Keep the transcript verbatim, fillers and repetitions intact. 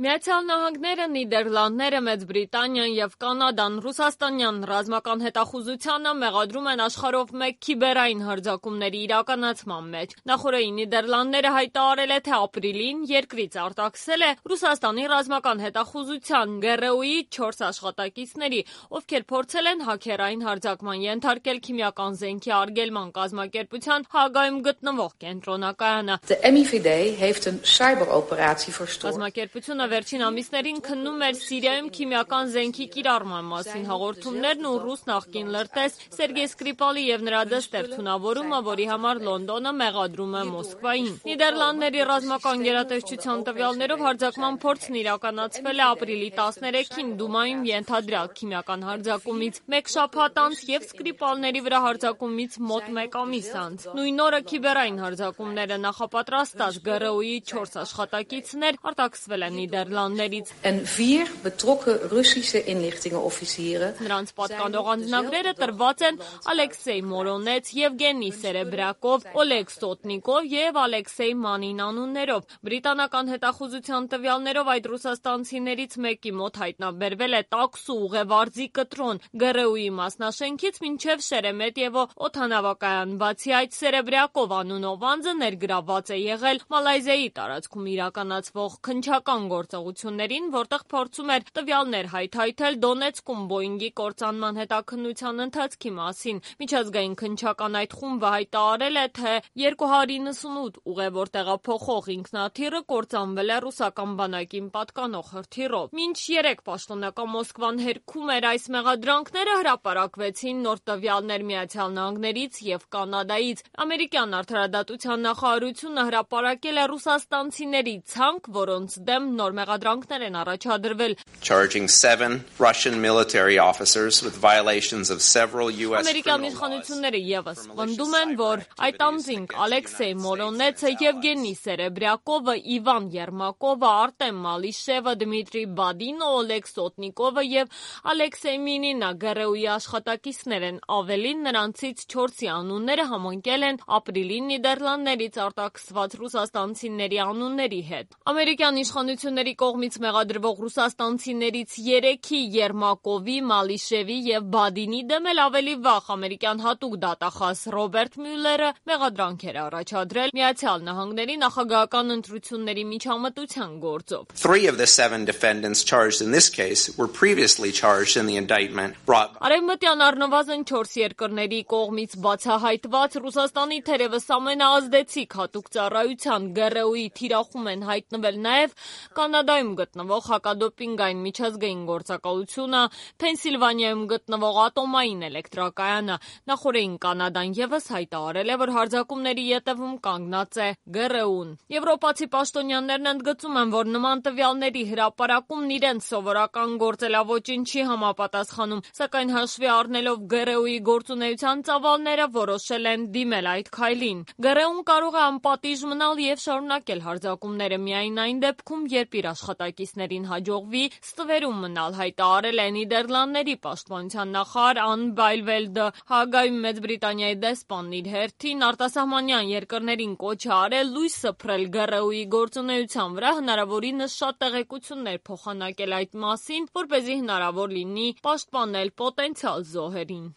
Միացյալ Նահանգները, Նիդերլանդները, Մեծ Բրիտանիան և Կանադան ռուսաստանյան ռազմական հետախուզությանը մեղադրում են աշխարհով մեկ քիբերային հարձակումների իրականացման մեջ։ Նախորդին Նիդերլանդները հայտարարել է, թե ապրիլին երկրից արտաքսել է Ռուսաստանի ռազմական հետախուզության Գ R U-ի չորս աշխատակիցների, ովքեր փորձել են հաքերային հարձակման ենթարկել քիմիական զենքի արգելման կազմակերպության Հաագայում գտնվող կենտրոնակայանը։ Կազմակերպությունը վերջին ամիսներին քննում էր Սիրիայում քիմիական զենքի կիրառման մասին հաղորդումներն ու ռուս նախկին լրտես Սերգեյ Սկրիպալի և նրա դստեր թունավորումը, որի համար Լոնդոնը մեղադրում է Մոսկվային։ Նիդերլանդների ռազմական գերատեսչության տվյալներով հարձակման փորձն իրականացվել է ապրիլի տասներեքին Դումայում ենթադրյալ քիմիական հարձակումից մեկ շաբաթ անց և Սկրիպալների վրա հարձակումից մոտ մեկ ամիս անց։ Նույն օրը քիբերային հարձակումները նախապատրաստած Գ R U-ի չորս աշխատակիցներ արտաքսվել են Նիդերլանդներից։ Նրանց պատկանող անձնագրերը տրված են Ալեքսեյ Մորոնեց, Եվգենի Սերեբրյակով, Օլեգ Սոտնիկով և Ալեքսեյ Մանին անուններով։ Բրիտանական հետախուզության տվյալներով այդ ռուսաստանցիներից մեկի մոտ հայտնաբերվել է տաքսու ուղևարձի կտրոն Գ R U-ի մասնաշենքից մինչև Շերեմետյևո օդանավակայան։ Բացի այդ, Սերեբրյակով անունով անձը ներգրավված է եղել Մալայզիայի տարածքում իրականացվող քննչական գործողություններին, որտեղ փորձում էր տվյալներ հայթայթել Դոնեցկում Բոյինգի կործանման հետաքննության ընթացքի մասին։ Միջազգային քննչական այդ խումբը հայտարարել է, թե երկու հարյուր իննսունութ ուղևոր տեղափոխող ինքնաթիռը կործանվել է ռուսական բանակին պատկանող հրթիռով։ Մինչ երեկ պաշտոնական Մոսկվան հերքում էր այս մեղադրանքները, հրապարակվեցին նոր տվյալներ Միացյալ Նահանգներից և Կանադայից։ Ամերիկյան արդարադատության նախարարությունը հրապարակել է ռուսաստանցիների ցանկ, որոնց դեմ նոր մեղադրանքներ են առաջադրվել։ Ամերիկյան իշխանությունները ևս պնդում են, որ այդ անձինք Ալեքսեյ Մորոնեցը, Եվգենի Սերեբրյակովը, Իվան Եռմակովը, Արտեմ Մալիշևը, Դմիտրի Բադինը, Օլեգ Սոտնիկովը և Ալեքսեյ Մինինը Գ R U-ի աշխատակիցներ են։ Ավելին, նրանցից չորսի անունները համընկել են ապրիլին Նիդերլանդներից արտաքսված ռուսաստանցիների անունների հետ։ Ամերիկյան իշխանությունների կողմից մեղադրվող ռուսաստանցիներից երեքի՝ Եռմակովի, Մալիշևի և Բադինի դեմ էլ ավելի վաղ ամերիկյան հատուկ դատախազ Ռոբերտ Մյուլլերը մեղադրանք էր առաջադրել Միացյալ Նահանգների նախագահական ընտրությունների միջամտության գործով։ Արևմտյան առնվազն չորս երկրների կողմից բացահայտված Ռուսաստանի թերևս ամենաազդեցիկ հատուկ ծառայության Գ R U-ի թիրախում են հայտնվել նաև Կանադայում գտնվող հակադոպինգային միջազգային գործակալությունը, Փենսիլվանիայում գտնվող ատոմային էլեկտրակայանը։ Նախորդին Կանադան ևս հայտարարել է, որ հարձակումների ետևում կանգնած է Գ R U-ն։ Եվրոպացի պաշտոնյաներն ընդգծում են, որ նման տվյալների հրապարակումն իրենց սովորական գործելավոճին չի համապատասխանում, սակայն հաշվի առնելով Գ R U-ի գործունեության ծավալները որոշել են դիմել այդ քայլին։ Գ R U-ն կարող է անպատիժ մնալ և շարունակել հարձակումները միայն այն դեպքում, երբ իր աշխատակիցներին հաջողվի ստվերում մնալ, հայտարարել է Նիդերլանդների պաշտպանության նախարար Ան Բայլվելդը։ Հաագայում Մեծ Բրիտանիայի դեսպանն իր հերթին արտասահմանյան երկրներին կոչ է արել լույս սփռել Գ R U-ի գործունեության վրա, հնարավորինս շատ տեղեկություններ փոխանակել այդ մասին, որպեսզի հնարավոր լինի պաշտպանել պոտենցիալ զոհերին։